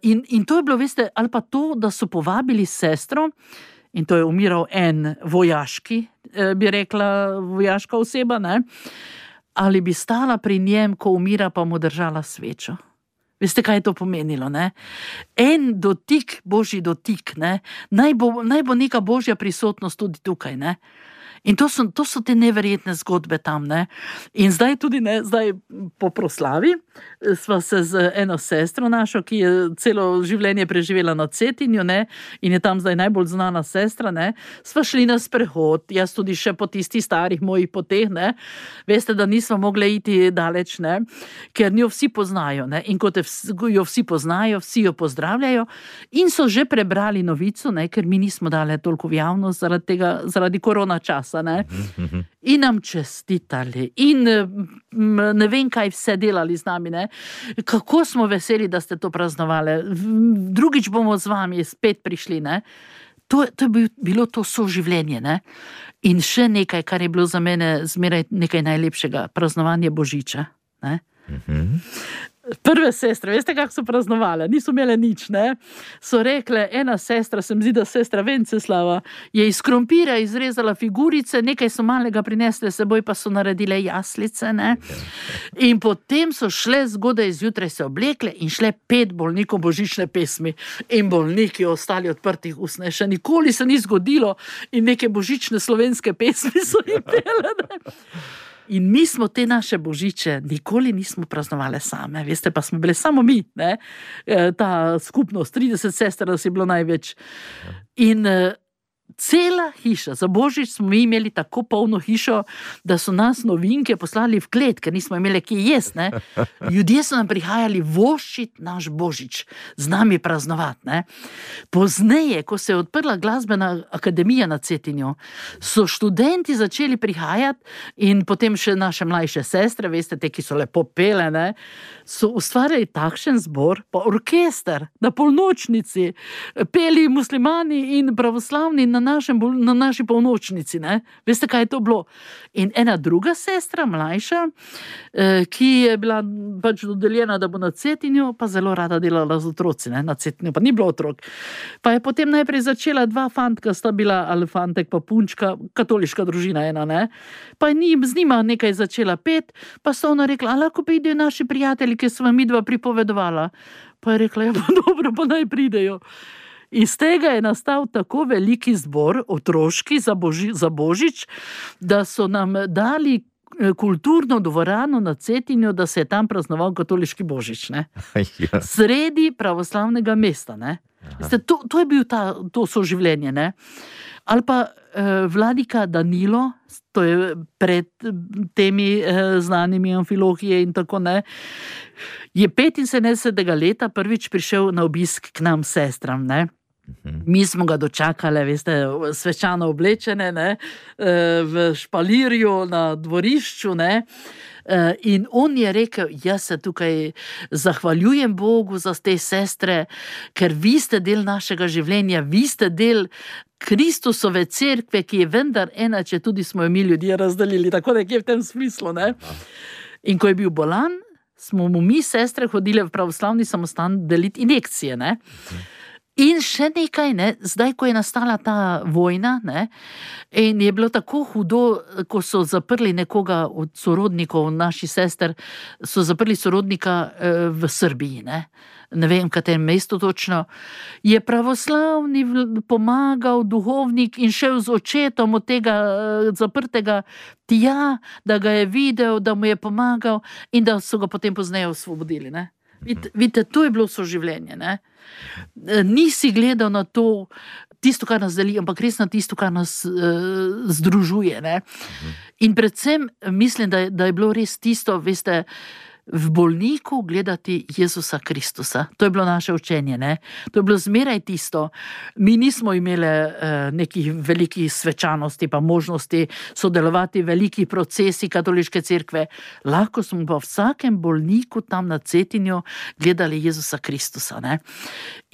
Speaker 3: In to je bilo, veste, ali pa to, da so povabili sestro, in to je umiral en vojaški, bi rekla, vojaška oseba, ne, ali bi stala pri njem, ko umira, pa mu držala svečo. Veste, kaj je to pomenilo, ne? En dotik, božji dotik, ne? Naj bo neka božja prisotnost tudi tukaj, ne? In to so te neverjetne zgodbe tam, ne? In zdaj tudi, ne, zdaj po proslavi sva se z eno sestro našo, ki je celo življenje preživela na Cetinju, ne, in je tam zdaj najbolj znana sestra, ne, sva šli na sprehod, jaz tudi še po tistih starih mojih poteh, ne, veste, da nisva mogla iti daleč, ne, ker njo vsi poznajo, ne, in kot jo vsi poznajo, vsi jo pozdravljajo in so že prebrali novico, ne, ker mi nismo dali toliko v javnost zaradi korona časa, ne, in nam čestitali in ne vem, kaj vse delali z nami, ne. Kako smo veseli, da ste to praznovali. Drugič bomo z vami spet prišli, ne. To je bilo to soživljenje, ne. In še nekaj, kar je bilo za mene zmeraj nekaj najlepšega, praznovanje Božiča, ne. Prve sestre, veste, kako so praznovale? Niso imele nič, ne. So rekle, ena sestra, se mi zdi, da sestra Venceslava, je iz krompira izrezala figurice, nekaj so malega prinesle seboj, pa so naredile jaslice, ne. In potem so šle zgodaj zjutraj se oblekle in šle 5 bolnikom božične pesmi. In bolniki ostali odprtih ust, ne. Še nikoli se ni zgodilo in neke božične slovenske pesmi so jim pele, ne. In mi smo te naše božiče nikoli nismo praznovali same, veste, pa smo bile samo mi, ne, ta skupnost, 30 sester nas je bilo največ. In cela hiša, za Božič smo mi imeli tako polno hišo, da so nas novinke poslali v klet, ker nismo imeli kje jesti, ne. Ljudje so nam prihajali voščit naš Božič, z nami praznovati, ne. Pozneje, ko se je odprla glasbena akademija na Cetinju, so študenti začeli prihajati in potem še naše mlajše sestre, veste, te, ki so lepo pele, ne, so ustvarjali takšen zbor, pa orkester na polnočnici, peli muslimani in pravoslavni na na naši polnočnici, ne. Veste, kaj je to bilo? In ena druga sestra, mlajša, ki je bila pač dodeljena, da bo na Cetinju, pa zelo rada delala z otroci, ne. Na Cetinju pa ni bilo otrok. Pa je potem najprej začela 2 fantka, sta bila ali fantek pa punčka, katoliška družina ena, ne. Pa je z njima nekaj začela pet, pa sta ona rekla, a lahko pridejo naši prijatelji, ki so vam midva pripovedovala. Pa je rekla, ja, pa dobro, pa naj pridejo. Iz tega je nastal tako veliki zbor, otroški, za Božič, da so nam dali kulturno dvorano na Cetinju, da se je tam praznoval katoliški Božič, ne.
Speaker 2: Ja.
Speaker 3: Sredi pravoslavnega mesta, ne. Veste, to je bil to soživljenje, ne. Ali pa vladika Danilo, to je pred temi znanimi amfilohije in tako, ne, je 75. leta prvič prišel na obisk k nam sestram, ne. Mi smo ga dočakali, veste, svečano oblečene, ne, v špalirju na dvorišču, ne. In on je rekel, jaz se tukaj zahvaljujem Bogu za te sestre, ker vi ste del našega življenja, vi ste del Kristusove cerkve, ki je vendar ena, če tudi smo jo mi ljudje razdelili, tako nekje v tem smislu, ne. In ko je bil bolan, smo mu mi sestre hodile v pravoslavni samostan deliti injekcije, ne. In še nekaj, ne, zdaj, ko je nastala ta vojna, ne, in je bilo tako hudo, ko so zaprli nekoga od sorodnikov naših sester, so zaprli sorodnika v Srbiji, ne vem, katerem mestu točno, je pravoslavni pomagal duhovnik in šel z očetom od tega zaprtega tja, da ga je videl, da mu je pomagal in da so ga potem pozneje osvobodili, ne. Vidite, to je bilo soživljenje, ne. Nisi gledal na to, tisto, kar nas deli, ampak res na tisto, kar nas združuje, ne. In predvsem mislim, da je bilo res tisto, veste, v bolniku gledati Jezusa Kristusa. To je bilo naše učenje, ne. To je bilo zmeraj tisto. Mi nismo imeli nekih velikih svečanosti pa možnosti sodelovati v velikih procesih katoliške cerkve. Lahko smo pa v vsakem bolniku tam na Cetinju gledali Jezusa Kristusa, ne.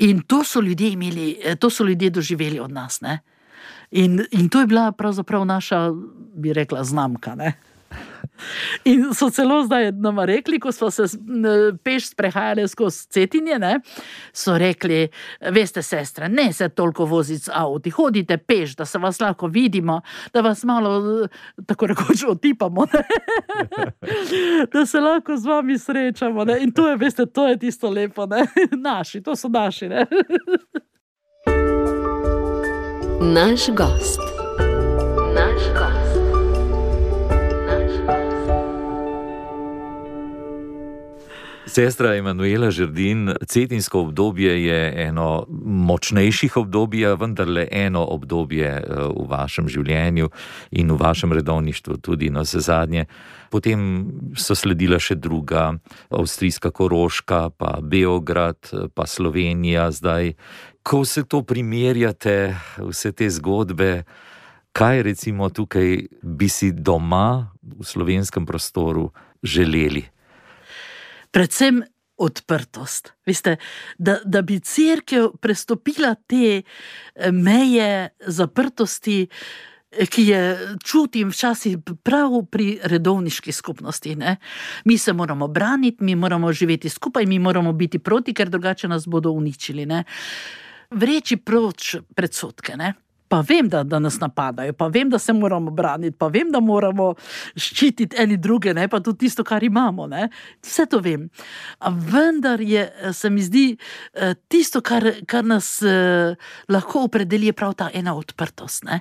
Speaker 3: In to so ljudje imeli, to so ljudje doživeli od nas, ne. In to je bila pravzaprav naša, bi rekla, znamka, ne. In so celo zdaj nama rekli, ko smo se peš sprehajali skozi Cetinje, ne, so rekli, veste, sestre, ne se toliko voziti z avti, hodite peš, da se vas lahko vidimo, da vas malo, tako rekoč, otipamo, ne. Da se lahko z vami srečamo, ne. In to je, veste, to je tisto lepo, ne. Naši, to so naši, ne.
Speaker 1: Naš gost. Naš gost.
Speaker 2: Sestra Emanuela Žerdin, cetinsko obdobje je eno močnejših obdobij, vendarle eno obdobje v vašem življenju in v vašem redovništvu tudi navsezadnje. Potem so sledila še druga, avstrijska Koroška, pa Beograd, pa Slovenija zdaj. Ko vse to primerjate, vse te zgodbe, kaj recimo tukaj bi si doma v slovenskem prostoru želeli?
Speaker 3: Predvsem odprtost. Veste, da bi cerkev prestopila te meje zaprtosti, ki je čutim včasih prav pri redovniški skupnosti, ne. Mi se moramo braniti, mi moramo živeti skupaj, mi moramo biti proti, ker drugače nas bodo uničili, ne. Vreči proč predsodke, ne. Pa vem, da nas napadajo, pa vem, da se moramo braniti, pa vem, da moramo ščititi eni druge, ne, pa tudi tisto, kar imamo, ne. Vse to vem. A vendar se mi zdi, tisto, kar nas lahko opredeli, je prav ta ena odprtost, ne.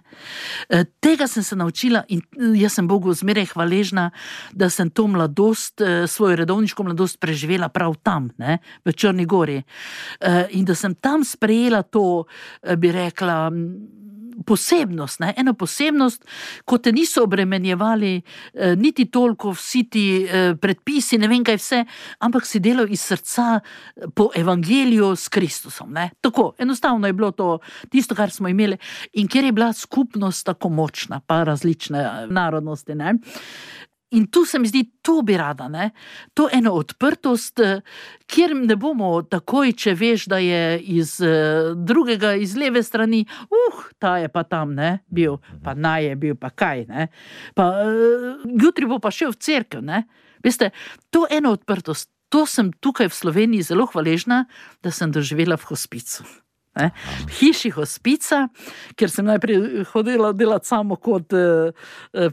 Speaker 3: Tega sem se naučila in jaz sem Bogu zmeraj hvaležna, da sem to mladost, svojo redovniško mladost preživela prav tam, ne, v Črni Gori. In da sem tam sprejela to, bi rekla, posebnost, ne, eno posebnost, ko te niso obremenjevali niti toliko vsi ti predpisi, ne vem kaj vse, ampak si delal iz srca po evangeliju s Kristusom, ne. Tako, enostavno je bilo to tisto, kar smo imeli in kjer je bila skupnost tako močna, pa različne narodnosti, ne. In tu se mi zdi, to bi rada, ne? To eno odprtost, kjer ne bomo takoj, če veš, da je iz drugega, iz leve strani, ta je pa tam, ne, bil, pa naj je bil, pa kaj, ne? Pa jutri bo pa šel v cerkev, ne? Veste, to eno odprtost, to sem tukaj v Sloveniji zelo hvaležna, da sem doživela v hospicu. V hiši hospica, kjer sem najprej hodila delati samo kot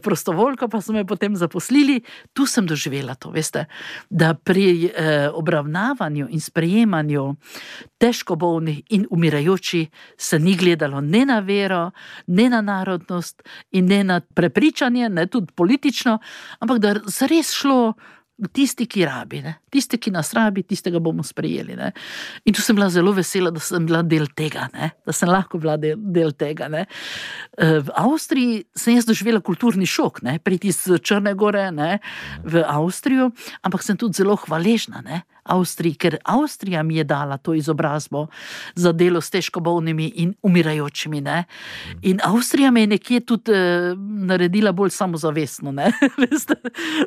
Speaker 3: prostovoljka, pa so me potem zaposlili, tu sem doživela to, veste, da pri obravnavanju in sprejemanju težko bolnih in umirajoči se ni gledalo ne na vero, ne na narodnost in ne na prepričanje, ne tudi politično, ampak da zares šlo tisti, ki rabi, ne? Tisti, ki nas rabi, tistega bomo sprejeli. Ne? In tu sem bila zelo vesela, da sem bila del tega, ne? Da sem lahko bila del tega. Ne? V Avstriji sem jaz doživela kulturni šok, ne? Priti iz Črne Gore, ne? V Avstrijo, ampak sem tudi zelo hvaležna, ne? Avstriji, ker Avstrija mi je dala to izobrazbo za delo s težko bolnimi in umirajočimi. Ne? In Avstrija me je nekje tudi naredila bolj samozavestno, ne? Veste,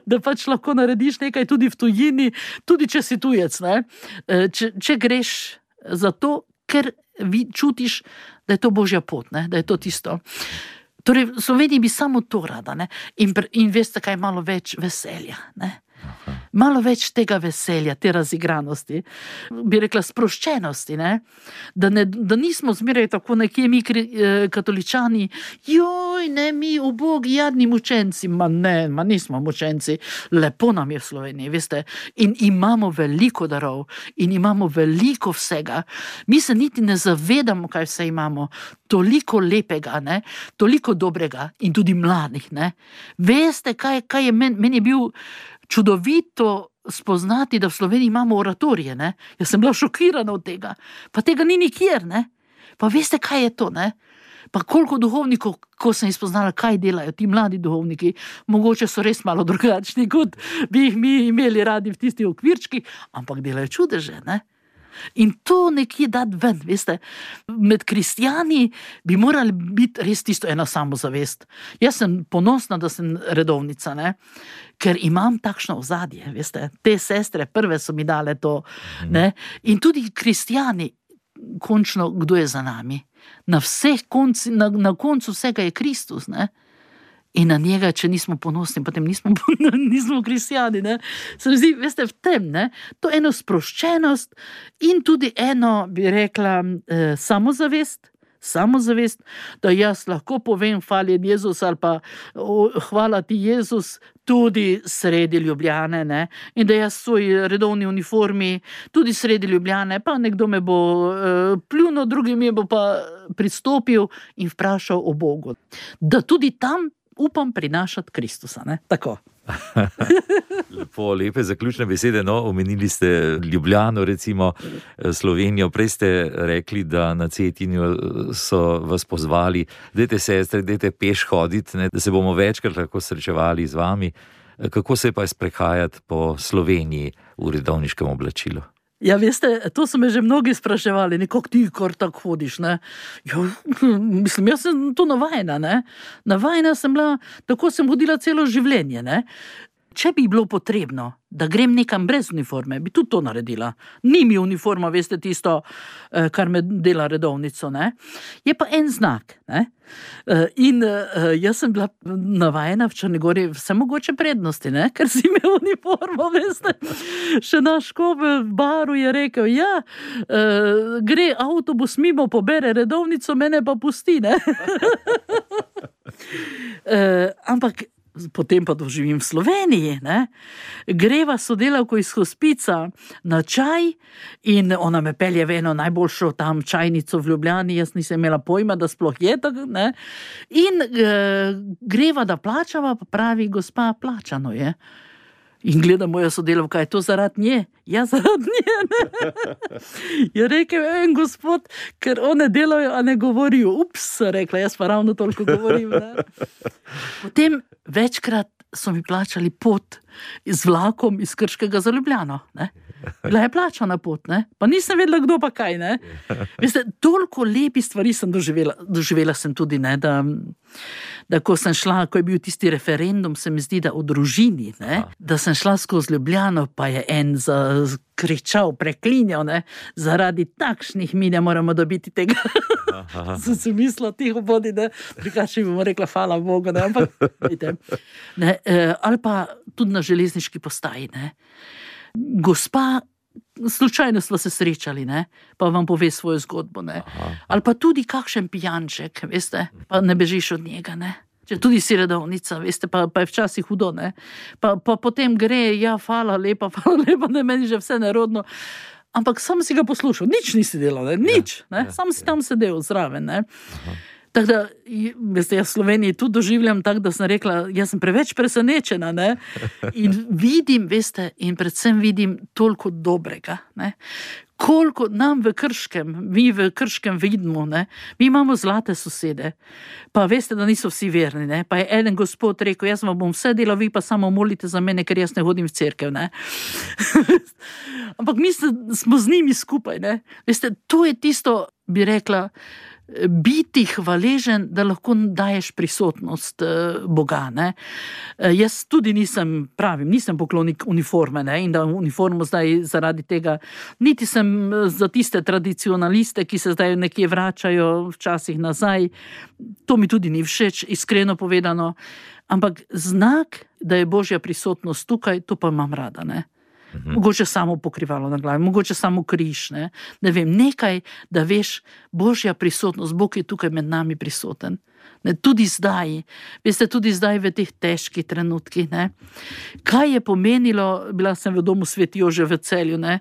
Speaker 3: da pač lahko narediš nekaj tudi v tujini, tudi če si tujec. Ne? Če greš za to, ker čutiš, da je to božja pot, ne? Da je to tisto. Torej, v Sloveniji bi samo to rada, ne? In veste, kaj malo več veselja, ne? Malo več tega veselja, te razigranosti, bi rekla sproščenosti, ne? Da nismo zmeraj tako nekje mi katoličani, mi ubogi, jadni mučenci, nismo mučenci, lepo nam je v Sloveniji, veste, in imamo veliko darov, in imamo veliko vsega, mi se niti ne zavedamo, kaj vse imamo, toliko lepega, ne? Toliko dobrega in tudi mladih, ne? Veste, kaj je meni je bil čudovito spoznati, da v Sloveniji imamo oratorije, ne? Jaz sem bila šokirana od tega. Pa tega ni nikjer, ne? Pa veste, kaj je to, ne? Pa koliko duhovnikov, ko sem spoznala, kaj delajo ti mladi duhovniki, mogoče so res malo drugačni, kot bi jih mi imeli radi v tistih okvirčkih, ampak delajo čudeže, ne? In to nekje dati ven, veste, med kristjani bi morali biti res tisto ena samozavest. Jaz sem ponosna, da sem redovnica, ne? Ker imam takšno ozadje, veste, te sestre prve so mi dale to, ne? In tudi kristjani, končno, kdo je za nami? Na koncu vsega je Kristus, ne? In na njega, če nismo ponosni, potem nismo kristjani, ne? Se mi zdi, veste, v tem, ne? To eno sproščenost in tudi eno, bi rekla, samozavest, da jaz lahko povem hvaljen Jezus ali pa hvala ti Jezus tudi sredi Ljubljane, ne? In da jaz v svoji redovni uniformi tudi sredi Ljubljane, pa nekdo me bo pljunil, drugi mi bo pa pristopil in vprašal o Bogu. Da tudi tam upam prinašati Kristusa, ne? Tako.
Speaker 2: Lepe zaključne besede, no, omenili ste Ljubljano, recimo Slovenijo, prej ste rekli, da na Cetinju so vas pozvali, dajte sestre, dajte peš hoditi, ne, da se bomo večkrat lahko srečevali z vami. Kako se pa sprehajati po Sloveniji v redovniškem oblačilu?
Speaker 3: Ja, veste, to so me že mnogi spraševali, nekako ti kar tako hodiš, ne? Jo, mislim, jaz sem to navajena, ne? Navajena sem bila, tako sem hodila celo življenje, ne? Če bi bilo potrebno, da grem nekam brez uniforme, bi tudi to naredila. Ni mi uniforma, veste, tisto, kar me dela redovnico, ne? Je pa en znak, ne? In jaz sem bila navajena v Črni Gori vse mogoče prednosti, ne? Ker si imel uniformo, veste. Še naš škof v baru je rekel, gre avtobus mimo, pobere redovnico, mene pa pusti, ne? Ampak potem pa doživim v Sloveniji, ne? Greva sodelavko iz hospica na čaj in ona me pelje v eno najboljšo tam čajnico v Ljubljani, jaz nisem imela pojma, da sploh je tako, ne? In greva, da plačava, pa pravi, gospa, plačano je. In gleda moja sodelavka, je to zaradi nje? Ja, zaradi nje, ne? Je rekel, en gospod, ker one delajo, a ne govorijo. Ups, rekla, jaz pa ravno toliko govorim, ne? Potem večkrat so mi plačali pot z vlakom iz Krškega za Ljubljano, ne? Bila je plačana pot, ne? Pa nisem vedela, kdo pa kaj, ne? Veste, toliko lepih stvari sem doživela. Doživela sem tudi, ne, da ko sem šla, ko je bil tisti referendum, se mi zdi, da o družini, ne, da sem šla skozi Ljubljano, pa je en kričal, preklinjal, ne, zaradi takšnih mi ne moramo dobiti tega. Sem si mislila, tiho bodi, ne, prikači bomo rekla, hvala Bogu, ne, ampak, vidite, ne, ali pa tudi na železniški postaji, ne. Gospa, slučajno smo se srečali, ne, pa vam pove svojo zgodbo, ne. Ali pa tudi kakšen pijanček, veste, pa ne bežiš od njega, ne. Če tudi si redovnica, veste, pa je včasih hudo, ne. Pa potem gre, ja, hvala lepa, ne, meni že vse nerodno. Ampak sam si ga poslušal, nič nisi delal, ne, nič, ne, sam si tam sedel zraven, ne. Tako da, veste, jaz v Sloveniji tudi doživljam tako, da sem rekla, jaz sem preveč presenečena, ne, in vidim, veste, in predvsem vidim toliko dobrega, ne, koliko nam v Krškem, mi v Krškem vidimo, ne, mi imamo zlate sosede, pa veste, da niso vsi verni, ne, pa je eden gospod rekel, jaz vam bom vse delal, vi pa samo molite za mene, ker jaz ne hodim v cerkev, ne. Ampak mi smo z njimi skupaj, ne, veste, to je tisto, bi rekla, biti hvaležen, da lahko daješ prisotnost Boga, ne. Jaz tudi nisem poklonik uniforme, ne, in da uniformo zdaj zaradi tega, niti sem za tiste tradicionaliste, ki se zdaj nekje vračajo včasih nazaj, to mi tudi ni všeč, iskreno povedano, ampak znak, da je Božja prisotnost tukaj, to pa imam rada, ne. Mogoče samo pokrivalo na glavi, mogoče samo križ, ne vem, nekaj, da veš, Božja prisotnost, Bog je tukaj med nami prisoten. Ne, tudi zdaj, veste, tudi zdaj v teh težkih trenutkih, ne. Kaj je pomenilo, bila sem v domu Sveti Jože v Celju, ne,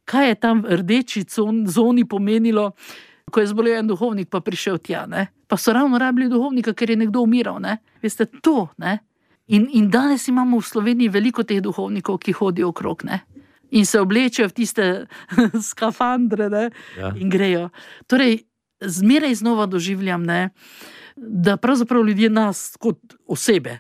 Speaker 3: kaj je tam v rdeči zoni pomenilo, ko je zbolel en duhovnik pa prišel tja, ne. Pa so ravno rabili duhovnika, ker je nekdo umiral, ne. Veste, to, ne. In danes imamo v Sloveniji veliko teh duhovnikov, ki hodijo okrog, ne. In se oblečejo v tiste skafandre, ne, in grejo. Torej, zmeraj znova doživljam, ne, da pravzaprav ljudje nas kot osebe,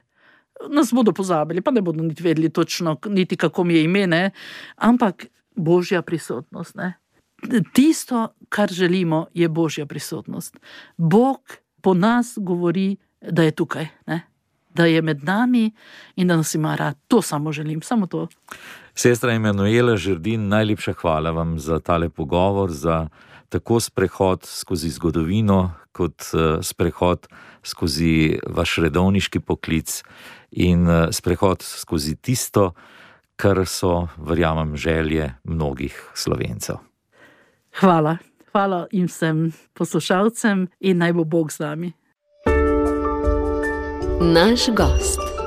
Speaker 3: nas bodo pozabili, pa ne bodo niti vedeli točno, niti kako mi je ime, ne, ampak Božja prisotnost, ne. Tisto, kar želimo, je Božja prisotnost. Bog po nas govori, da je tukaj, ne. Da je med nami in da nas ima rad. To samo želim, samo to.
Speaker 2: Sestra Emanuela Žerdin, najlepša hvala vam za tale pogovor, za tako sprehod skozi zgodovino, kot sprehod skozi vaš redovniški poklic in sprehod skozi tisto, kar so, verjamem, želje mnogih Slovencev.
Speaker 3: Hvala. Hvala in vsem poslušalcem in naj bo Bog z nami.
Speaker 1: Naš gost.